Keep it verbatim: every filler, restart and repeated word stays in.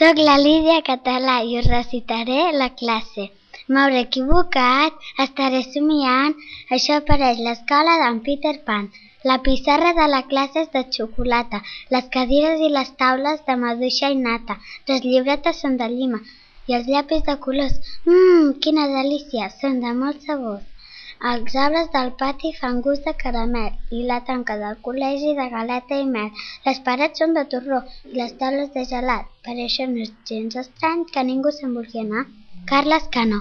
Soc la Lídia Català i us recitaré la classe. M'hauré equivocat, estaré somiant, això pareix l'escola d'en Peter Pan. La pissarra de la classe és de xocolata, les cadires i les taules de maduixa i nata, les llibretes són de llima i els llapis de colors. Mmm, quina delícia, són de molts sabors. Els arbres del pati fan gust de caramel i la tanca del col·legi de galeta i mel. Les parets són de torró i les taules de gelat. Per això no és gens estrany que ningú se'n vulgui anar. Carles Cano.